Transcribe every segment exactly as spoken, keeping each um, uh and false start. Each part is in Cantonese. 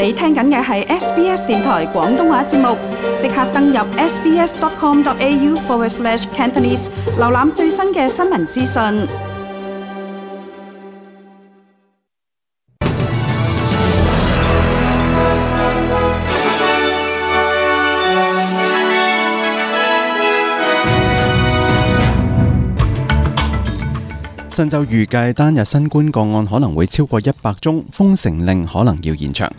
你聽緊嘅係 S B S 電台廣東話節目，即刻登入 sbs.com.au forward slash Cantonese， 瀏覽最新嘅新聞資訊。新州預計單日新冠個案可能會超過一百宗，封城令可能要延長。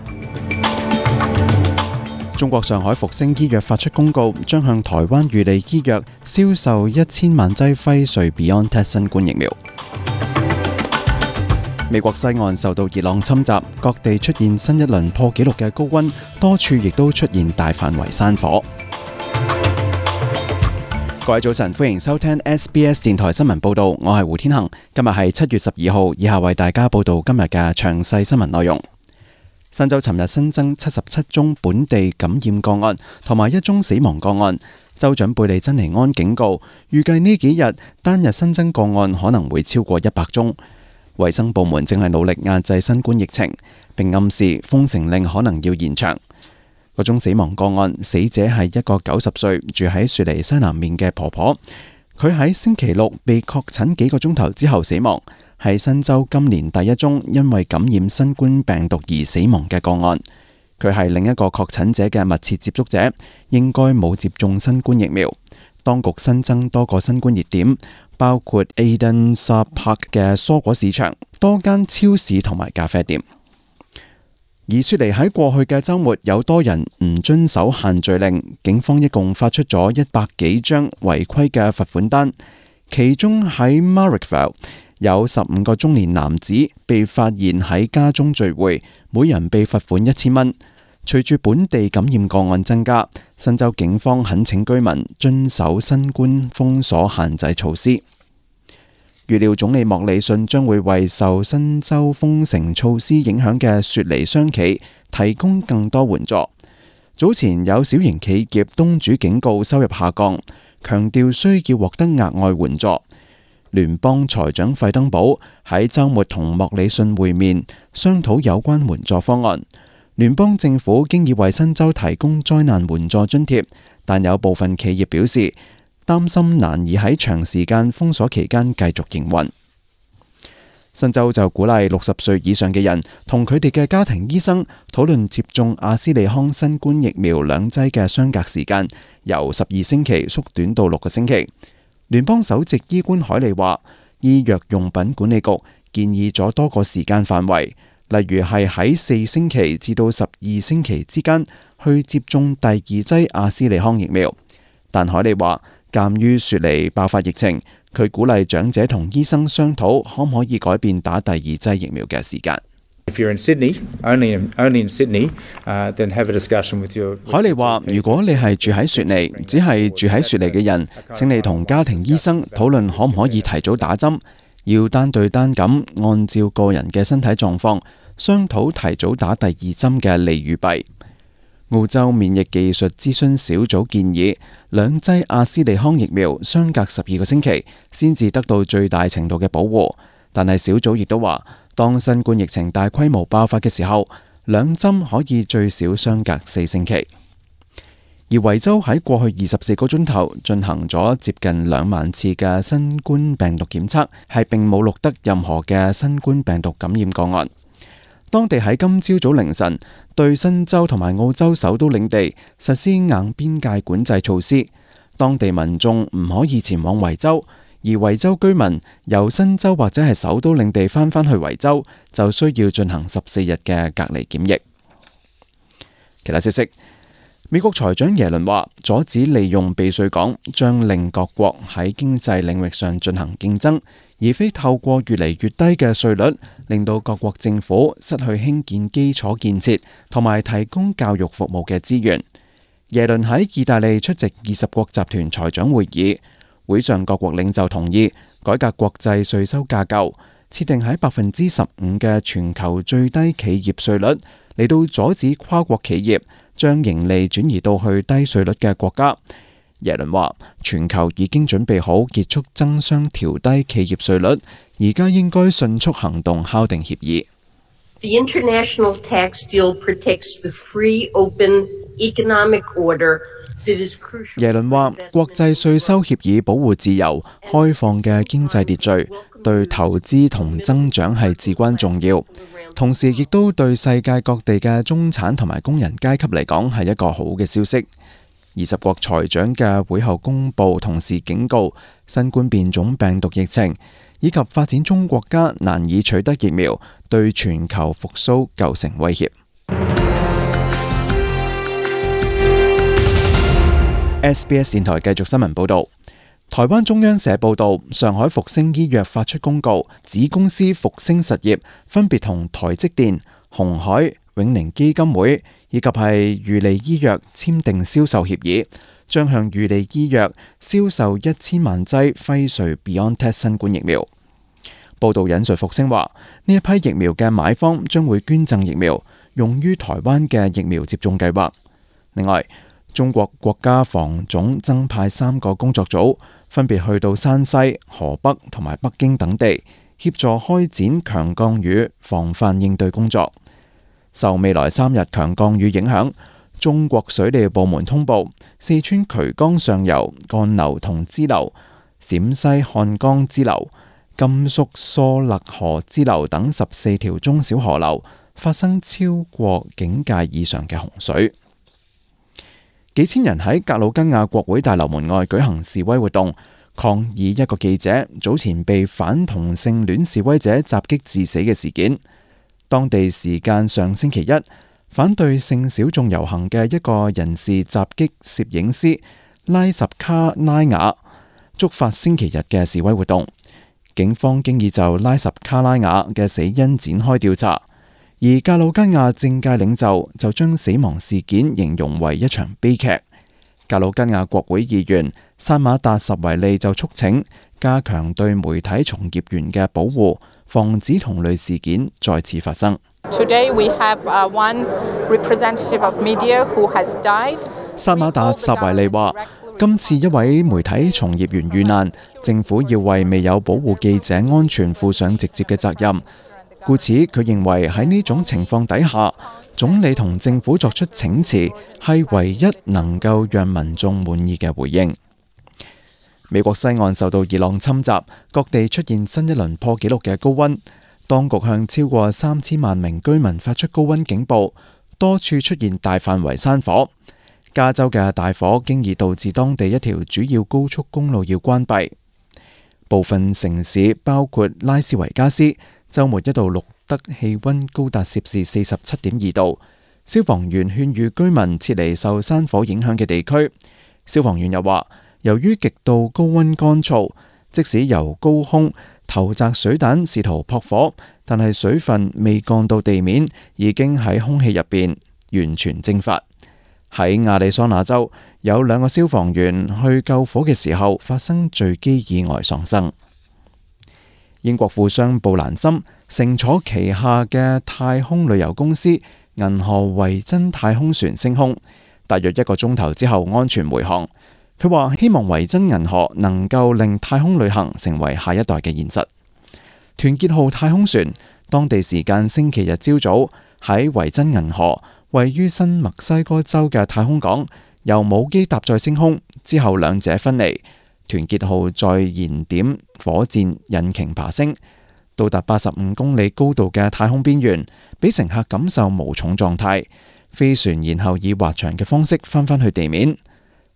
中國上海復星醫藥發出公告，將向台灣裕利醫藥銷售一千萬劑輝瑞 BioNTech 新冠疫苗。美國西岸受到熱浪侵襲，各地出現新一輪破紀錄嘅高溫，多處亦都出現大範圍山火。各位早晨，歡迎收聽 S B S 電台新聞報道，我係胡天恒。今日係七月十二號，以下為大家報道今日嘅詳細新聞內容。新州尋日新增七十七宗本地感染個案，同埋一宗死亡個案。州長貝利珍尼安警告，預計呢幾日單日新增個案可能會超過一百宗。衛生部門正係努力壓制新冠疫情，並暗示封城令可能要延長。嗰宗死亡個案，死者係一個九十歲住喺雪梨西南面嘅婆婆，佢喺星期六被確診幾個鐘頭之後死亡，係新州今年第一宗因為感染新冠病毒而死亡嘅個案。佢係另一個確診者嘅密切接觸者，應該冇接種新冠疫苗。當局新增多個新冠熱點，包括 Eden Park 嘅蔬果市場、多間超市同埋咖啡店。而雪梨喺過去嘅週末有多人唔遵守限聚令，警方一共發出咗一百幾張違規嘅罰款單，其中喺 Marrickville 有十五個中年男子被發現喺家中聚會，每人被罰款一千蚊。隨住本地感染個案增加，新州警方懇請居民遵守新冠封鎖限制措施。預料總理莫里遜將會為受新州封城措施影響嘅雪梨商企提供更多援助。早前有小型企業東主警告收入下降，強調需要獲得額外援助。聯邦財長費登堡喺週末同莫里遜會面，商討有關援助方案。聯邦政府經已為新州提供災難援助津貼，但有部分企業表示擔心難以喺長時間封鎖期間繼續營運。新州就鼓勵六十歲以上嘅人同佢哋嘅家庭醫生討論接種阿斯利康新冠疫苗兩劑嘅相隔時間，由十二星期縮短到六個星期。聯邦首席醫官海利話，醫藥用品管理局建議咗多個時間範圍，例如係喺四星期至到十二星期之間去接種第二劑阿斯利康疫苗。但海利話，鑑於雪梨爆發疫情，佢鼓勵長者同醫生商討可唔可以改變打第二劑疫苗嘅時間。海利話，如果你係住喺雪梨，只係住喺雪梨嘅人，請你同家庭醫生討論可唔可以提早打針，要單對單咁按照個人嘅身體狀況商討提早打第二針嘅利與弊。澳洲免疫技術諮詢小組建議，兩劑阿斯利康疫苗相隔十二個星期先至得到最大程度嘅保護，但係小組亦都話，當新冠疫情大規模爆發嘅時候，兩針可以最少相隔四星期。而維州喺過去二十四個鐘頭進行咗接近兩萬次嘅新冠病毒檢測，係並冇錄得任何嘅新冠病毒感染個案。當地喺今朝早凌晨對新州同埋澳洲首都領地實施硬邊界管制措施，當地民眾唔可以前往維州，而維州居民由新州或者係首都領地翻返去維州，就需要進行十四日嘅隔離檢疫。其他消息，美國財長耶倫話，阻止利用避稅港將令各國喺經濟領域上進行競爭，而非透過越嚟越低嘅稅率，令到各國政府失去興建基礎建設同埋提供教育服務嘅資源。耶倫喺意大利出席二十國集團財長會議，會上各國領袖同意改革國際稅收架構，設定喺百分之十五嘅全球最低企業稅率，嚟到阻止跨國企業將盈利轉移到去低稅率嘅國家。耶倫話，全球已經準備好結束爭相調低企業稅率，而家應該迅速行動敲定協議。The international tax deal protects the free, open economic order that is crucial. 耶倫話：國際稅收協議保護自由、開放嘅經濟秩序，對投資同增長係至關重要。同時，亦都對世界各地嘅中產同埋工人階級嚟講係一個好嘅消息。二十國財長嘅會後公佈，同時警告新冠變種病毒疫情以及發展中國家難以取得疫苗，對全球復甦構成威脅。S B S 電台繼續新聞報導。台灣中央社報導，上海復星醫藥發出公告，子公司復星實業分別同台積電、鴻海、永寧基金會以及係裕利醫藥簽訂銷售協議，將向裕利醫藥銷售一千萬劑輝瑞 BioNTech 新冠疫苗。報導引述復星話，呢一批疫苗嘅買方將會捐贈疫苗，用於台灣嘅疫苗接種計劃。另外，中國國家防總增派三個工作組，分別去到山西、河北同埋北京等地，協助開展強降雨防範應對工作。受未來三日強降雨影響，中國水利部門通報，四川渠江上游幹流同支流、陝西漢江支流、甘肅疏勒河支流等十四條中小河流發生超過警戒以上嘅洪水。幾千人喺格魯吉亞國會大樓門外舉行示威活動，抗議一個記者早前被反同性戀示威者襲擊致死嘅事件。當地時間上星期一，反對性小眾遊行嘅一個人士襲擊攝影師拉什卡拉雅，觸發星期日嘅示威活動。警方經已就拉什卡拉雅嘅死因展開調查。而格魯吉亞政界領袖就將死亡事件形容為一場悲劇。格魯吉亞國會議員薩馬達什維利就促請加強對媒體從業員嘅保護，防止同類事件再次發生。Today we have one representative of media who has died. 薩馬達什維利話：今次一位媒體從業員遇難，政府要為未有保護記者安全負上直接嘅責任。故此，佢認為喺呢種情況底下，總理同政府作出請辭係唯一能夠讓民眾滿意嘅回應。美國西岸受到熱浪侵襲，各地出現新一輪破紀錄嘅高溫。當局向超過三千萬名居民發出高溫警報，多處出現大範圍山火。加州嘅大火經已導致當地一條主要高速公路要關閉。部分城市包括拉斯維加斯，週末一度錄得氣溫高達攝氏四十七點二度，消防員勸喻居民撤離受山火影響嘅地區。消防員又話，由於極度高溫乾燥，即使由高空投擲水彈試圖撲火，但係水分未降到地面，已經喺空氣入邊完全蒸發。喺亞利桑那州，有兩個消防員去救火嘅時候發生墜機意外喪生。英國富商布蘭森乘坐旗下嘅太空旅遊公司銀河維珍太空船升空，大約一個鐘頭之後安全回航。佢話希望維珍銀河能夠令太空旅行成為下一代嘅現實。團結號太空船當地時間星期日朝早喺維珍銀河位於新墨西哥州嘅太空港由母機搭載升空，之後兩者分離。團結號再燃點火箭引擎爬升，到達八十五公里高度嘅太空邊緣，俾乘客感受無重狀態。飛船然後以滑翔嘅方式翻返去地面。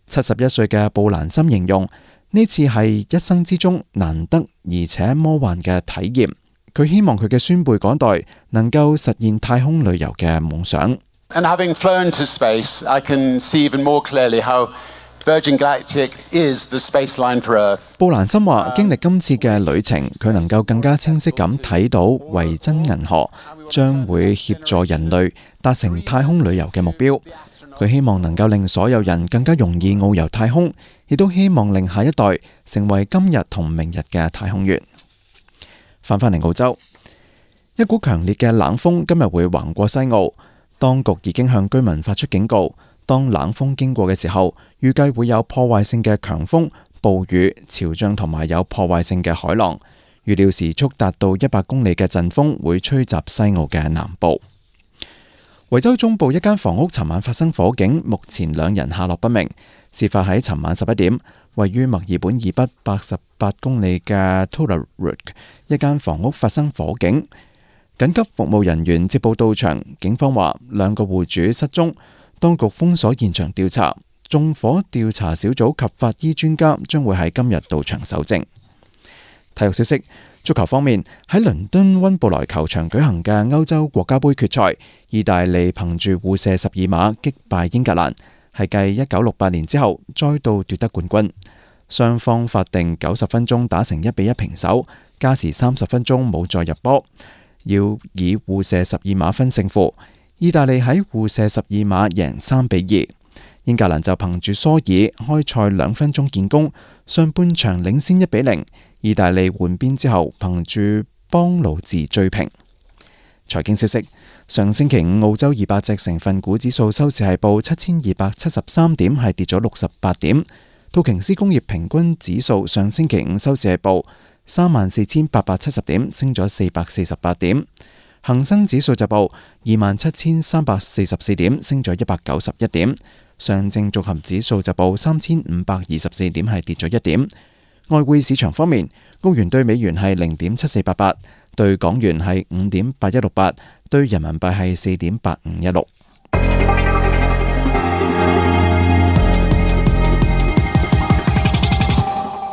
七十一歲嘅布蘭森形容呢次係一生之中難得而且魔幻嘅體驗。佢希望佢嘅孫輩嗰代能夠實現太空旅遊嘅夢想。And having flown to space, I can see even more clearly how Virgin Galactic is the space line for Earth. 布蘭森話：經歷今次嘅旅程，佢能夠更加清晰咁睇到維珍銀河將會協助人類達成太空旅遊嘅目標。佢希望能夠令所有人更加容易遨遊太空，亦都希望令下一代成為今日同明日嘅太空員。翻返嚟澳洲，一股強烈嘅冷風今日會橫過西澳，當局已經向居民發出警告。當冷風經過嘅時候，預計會有破壞性嘅強風、暴雨、潮漲同埋有破壞性嘅海浪。預料時速達到一百公里嘅陣風會吹襲西澳嘅南部。維州中部一間房屋尋晚發生火警，目前兩人下落不明。事發喺尋晚十一點，位於墨爾本以北八十八公里嘅 Toorak 一間房屋發生火警，緊急服務人員接報到場。警方話兩個戶主失蹤，當局封鎖現場調查。縱火調查小組及法醫專家將會喺今日到場搜證。體育消息，足球方面，喺倫敦溫布萊球場舉行嘅歐洲國家盃決賽，意大利憑住互射十二碼擊敗英格蘭，係繼一九六八年之後再度奪得冠軍。雙方法定九十分鐘打成一比一平手，加時三十分鐘冇再入波，要以互射十二碼分勝負。意大利喺互射十二碼贏三比二。英格蘭就憑住蘇爾開賽兩分鐘建功，上半場領先一比零。意大利換邊之後，憑住邦魯治追平。財經消息，上星期五澳洲二百隻成分股指數收市係報七千二百七十三點，係跌咗六十八點。道瓊斯工業平均指數上星期五收市係報三萬四千八百七十點，升咗四百四十八點。恒生指數就報二萬七千三百四十四點，升咗一百九十一點。上證綜合指數就報三千五百二十四點，係跌咗一點。外匯市場方面，澳元對美元係零點七四八八，對港元係五點八一六八，對人民幣係四點八五一六。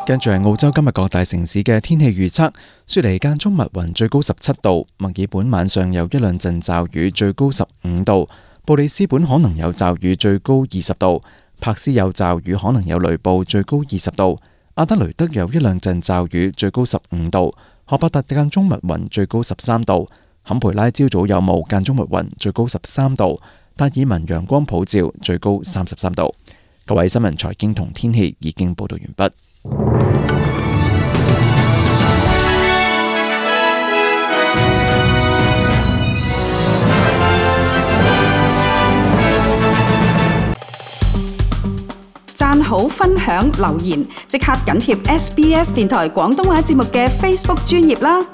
跟住係澳洲今日各大城市嘅天氣預測：雪梨間中密雲，最高十七度；墨爾本晚上有一兩陣驟雨，最高十五度。布里斯本可能有驟雨，最高二十度；柏斯有驟雨，可能有雷暴，最高二十度；阿德雷德有一兩陣驟雨，最高十五度；荷伯特間中密雲，最高十三度；坎培拉朝早有霧，間中密雲，最高十三度；達爾文陽光普照，最高三十三度。各位新聞、財經同天氣已經報道完畢。讚好、分享、留言，即刻緊貼 S B S 電台廣東話節目嘅 Facebook 專頁啦！